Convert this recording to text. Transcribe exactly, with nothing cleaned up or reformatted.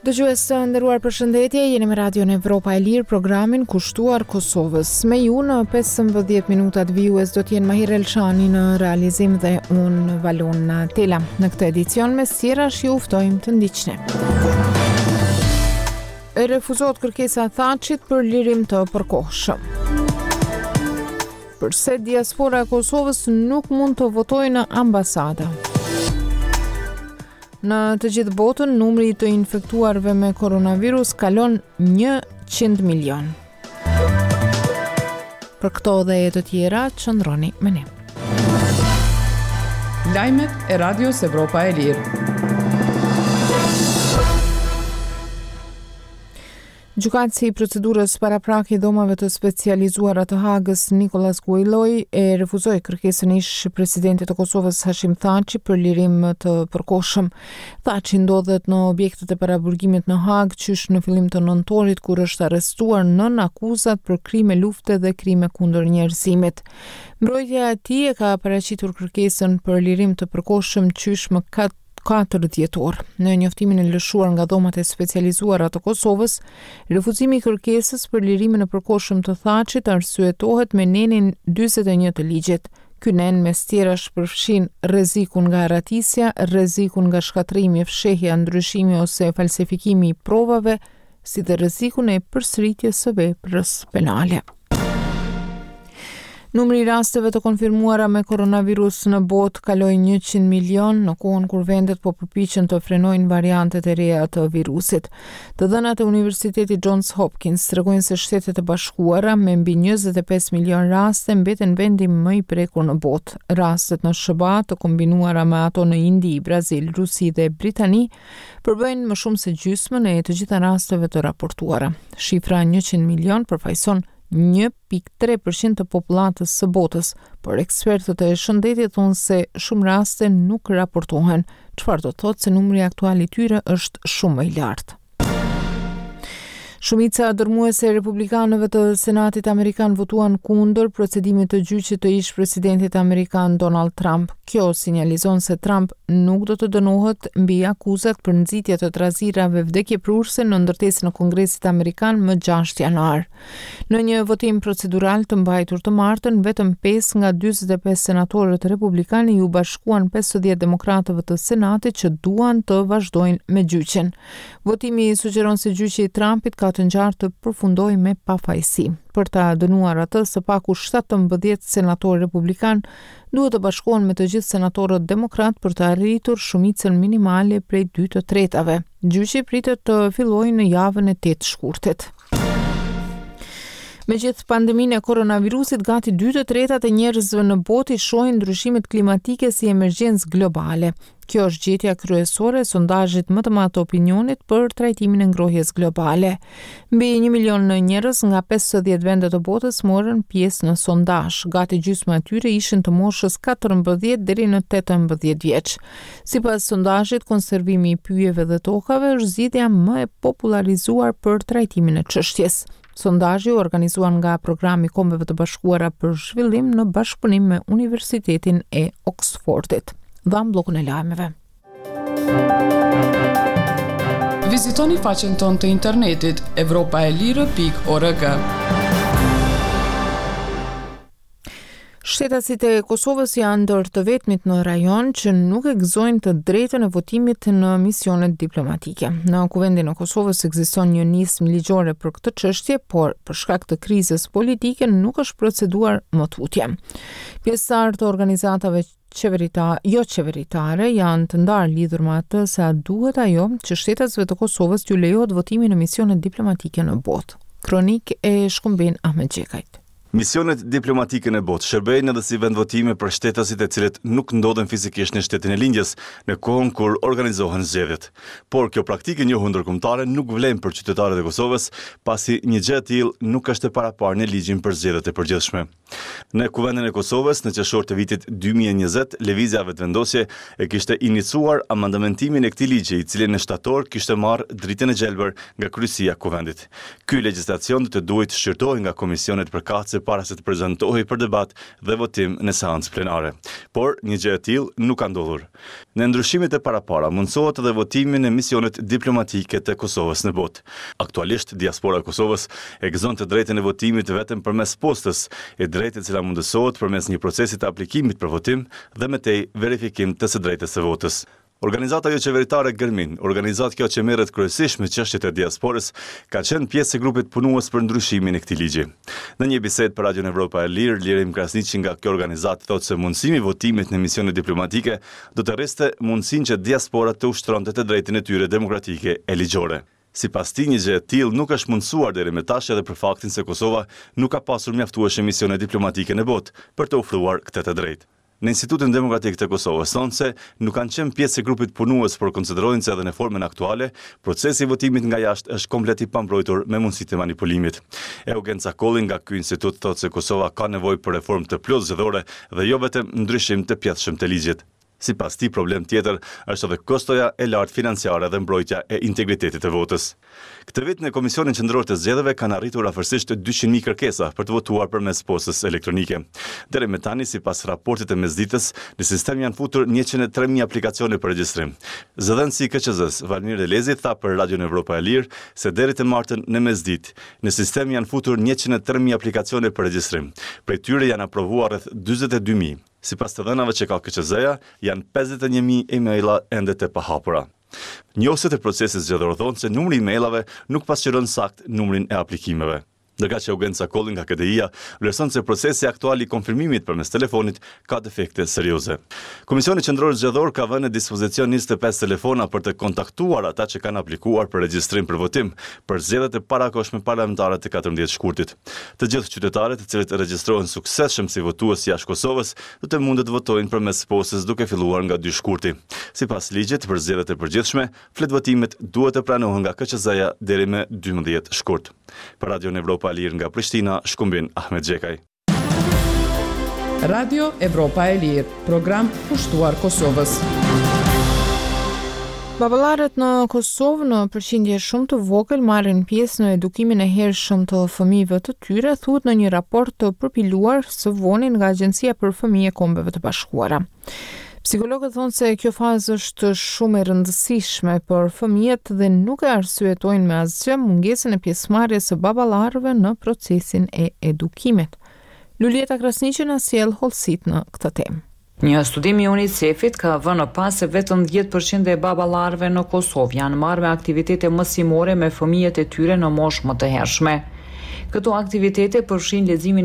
Dëgjues të nderuar, përshëndetje, jeni me Radion Evropa e Lirë, programin kushtuar Kosovës. Me ju në pesëmbëdhjetë minutat vijues do të jenë Mahir Elshani në realizim dhe unë Valon Tela. Në këtë edicion mes tjerash ju ftojmë të ndiqni. E refuzohet kërkesa e Thaçit për lirim të përkohshëm. Përse diaspora e Kosovës nuk mund të votojë në ambasada? Në të gjithë botën, numri i të infektuarve me koronavirus kalon njëqind milion. Për këto dhe të tjera, qëndroni me ne. Lajmet e Radios Evropa e Lirë. Gjykatësi i procedurës paraprake i dhomave të specializuara të Hagës, Nikolas Guillou, e refuzoi kërkesën e ish presidentit të Kosovës Hashim Thaçi për lirim të përkohshëm. Thaçi ndodhet në objektet e paraburgimit në Hagë qysh në fillim të nëntorit, kur është arrestuar nën akuzat për krime lufte dhe krime kundër njerëzimit. Mbrojtja e tij e ka paraqitur kërkesën për lirim të përkohshëm qysh më katër dhjetor. Në njoftimin e lëshuar nga dhomat e specializuara të Kosovës, refuzimi i kërkesës për lirimin e përkohshëm të Thaçit arsyetohet me nenin dyzet e një të ligjit. Ky nen mes tjerash përfshin rrezikun nga arratisja, rrezikun nga shkatërrimi, fshehja, ndryshimi ose falsifikimi i provave, si dhe rrezikun e përsëritjes së veprës penale. Numri i rasteve të konfirmuara me koronavirus në botë kaloi njëqind milion në kohën kur vendet po përpiqen të frenojnë variantet e reja të virusit. Të dhënat e Universitetit Johns Hopkins tregojnë se Shtetet e Bashkuara me mbi njëzet e pesë milion raste mbeten vendi më i prekur në botë. Rastet në S H B A të kombinuara me ato në Indi, Brazil, Rusi dhe Britani përbëjnë më shumë se gjysmën e të gjitha rasteve të raportuara. Shifra njëqind milion përfaqëson një pikë tre përqind të popullatës së botës, por ekspertët e shëndetit thonë se shumë raste nuk raportohen, çfarë do të thotë se numri aktual i tyre është shumë më i lartë. Shumica dërmuese e republikanëve të Senatit Amerikan votuan kundër procedimit të gjyqit të ish presidentit amerikan Donald Trump. Kjo sinjalizon se Trump nuk do të dënohet mbi akuzat për nxitje të trazirave vdekjeprurëse në ndërtesën e Kongresit Amerikan më gjashtë janar. Në një votim procedural të mbajtur të martën, vetëm pesë nga dyzet e pesë senatorët republikanë iu bashkuan pesëdhjetë demokratëve të Senatit që duan të vazhdojnë me gjyqin. Votimi sugjeron se gjyqi i Trumpit ka të ngjarë të përfundojë me pafajësi. Për ta dënuar atë, së paku shtatëmbëdhjetë senatorë republikan duhet të bashkohen me të gjithë senatorët demokrat për të arritur shumicën minimale prej dy të tretave. Gjyqi pritet të fillojë në javën e tetë shkurtit. Me gjithë pandeminë e koronavirusit, gati dy të tretat e njerëzve në botë i shohin ndryshimet klimatike si emergjencë globale. Kjo është gjetja kryesore e sondazhit më të madh të opinionit për trajtimin e ngrohjes globale. Mbi një milion njerëz nga pesëdhjetë vende të botës morën pjesë në sondazh. Gati gjysma e tyre ishin të moshës katërmbëdhjetë deri në tetëmbëdhjetë vjeç. Sipas sondazhit, konservimi i pyjeve dhe tokave është zgjidhja më e popularizuar për trajtimin e çështjes. Sondazhi u organizua nga Programi i Kombeve të Bashkuara për Zhvillim në bashkëpunim me Universitetin e Oxfordit. Dham bllokun e lajmeve. Vizitoni faqen tonë të internetit evropa e lirë pikë org. Shtetasit e Kosovës janë ndër të vetmit në rajon që nuk e gëzojnë të drejtën e votimit në misionet diplomatike. Në Kuvendin e Kosovës ekziston një nismë ligjore për këtë çështje, por për shkak të krizës politike nuk është proceduar më tutje. Pjesëtarë të organizatave qeverita, jo qeveritare janë të ndarë lidhur me atë se a duhet ajo që shtetasve të Kosovës t'ju lejohet votimi në misionet diplomatike në botë. Kronik e Shkumbin Ahmet Gjekajt. Misionet diplomatike në botë shërbejnë edhe si vendvotime për shtetasit e cilët nuk ndodhen fizikisht në shtetin e lindjes në kohën kur organizohen zgjedhjet. Por kjo praktikë e njohur ndërkombëtare nuk vlen për qytetarët e Kosovës, pasi një gjë e tillë nuk është e paraparë në ligjin për zgjedhjet e përgjithshme. Në Kuvendin e Kosovës, në qershor të vitit dy mijë e njëzet, Lëvizja Vetëvendosje e kishte iniciuar amendamentimin e këtij ligji, i cili në shtator kishte marrë dritën e gjelbër nga kryesia e Kuvendit. Ky legjislacion do të duhej të shqyrtohej nga komisionet përkatëse para se të prezantohej për debat dhe votim në seancë plenare. Por, një gjë e tillë nuk ka ndodhur. Në ndryshimet e parapara mundësohet edhe votimi në misionet diplomatike të Kosovës në botë. Aktualisht, diaspora e Kosovës e gëzon të drejtën e votimit vetëm përmes postës, e drejtë e cila mundësohet përmes një procesi të aplikimit për votim dhe më tej verifikim të së drejtës së votës. Organizata joqeveritare Gërmin, organizatë kjo që merret kryesisht me çështjet e diasporës, ka qenë pjesë e grupit punues për ndryshimin e këtij ligji. Në një bisedë për Radion Evropa e Lirë, Lirim Krasniqi nga kjo organizatë thotë se mundësimi i votimit në misione diplomatike do të rriste mundësinë që diaspora të ushtronte të drejtën e tyre demokratike e ligjore. Sipas tij, një gjë e tillë nuk është mundësuar deri më tash edhe për faktin se Kosova nuk ka pasur mjaftueshëm misione diplomatike në botë për të ofruar këtë të drejtë. Në Institutin Demokratik të Kosovës thonë se nuk kanë qenë pjesë e grupit punues, por konsiderojnë se edhe në formën aktuale, procesi i votimit nga jashtë është komplet i pambrojtur me mundësitë e manipulimit. Eugen Cakolli nga ky institut thotë se Kosova ka nevojë për reformë të plotë zgjedhore dhe jo vetëm ndryshim të pjesshëm të ligjit. Sipas tij, problem tjetër është edhe kostoja e lartë financiare dhe mbrojtja e integritetit të votës. Këtë vit në Komisionin Qendror të Zgjedhjeve kanë arritur afërsisht dyqind mijë kërkesa për të votuar përmes postës elektronike. Deri më tani, sipas raportit të mesditës, në sistem janë futur njëqind e tre mijë aplikacione për regjistrim. Zëdhënësi i K Q Z-s, Valmir Elezi, tha për Radion Evropa e Lirë se deri të martën në mesditë, në sistem janë futur njëqind e tre mijë aplikacione për regjistrim. Prej tyre janë aprovuar rreth dyzet e dy mijë. Sipas të dhënave që ka K Q Z-ja, janë pesëdhjetë e një mijë emaila ende të pahapura. Njohësit e procesit zgjedhor thonë se numri i emailave nuk pasqyron sakt numrin e aplikimeve. Ndërkaq Eugen Cakolli nga K D I-ja vlerëson se procesi aktual i konfirmimit përmes telefonit ka defekte serioze. Komisioni Qendror Zgjedhor ka vënë në dispozicion njëzet e pesë telefona për të kontaktuar ata që kanë aplikuar për regjistrim për votim për zgjedhjet e parakohshme parlamentare të katërmbëdhjetë shkurtit. Të gjithë qytetarët të cilët regjistrohen suksesshëm si votues jashtë Kosovës do të mundet të votojnë përmes postës duke filluar nga dy shkurti. Sipas ligjit për zgjedhjet e përgjithshme, fletvotimet duhet të pranohen nga K Q Z-ja deri më dymbëdhjetë shkurt. Për Radion Evropa e Lirë nga Prishtina, Shkumbin Ahmet Gjekaj. Radio Evropa e Lirë, program kushtuar Kosovës. Baballarët në Kosovë në përqindje shumë të vogël marrin pjesë në edukimin e hershëm të fëmijëve të tyre, thuhet në një raport të përpiluar së voni nga Agjencia për Fëmijë e Kombeve të Bashkuara. Psikologët thonë se kjo fazë është shumë e rëndësishme për fëmijët dhe nuk e arsyetojnë me asgjë mungesën e pjesëmarrjes së baballarëve në procesin e edukimit. Luljeta Krasniqi na sjell hollësitë në këtë temë. Një studim i UNICEF-it ka vënë pa se vetëm dhjetë përqind e baballarëve në Kosovë janë marrë me aktivitete mësimore me fëmijët e tyre në moshë më të hershme. Këto aktivitete përfshijnë leximin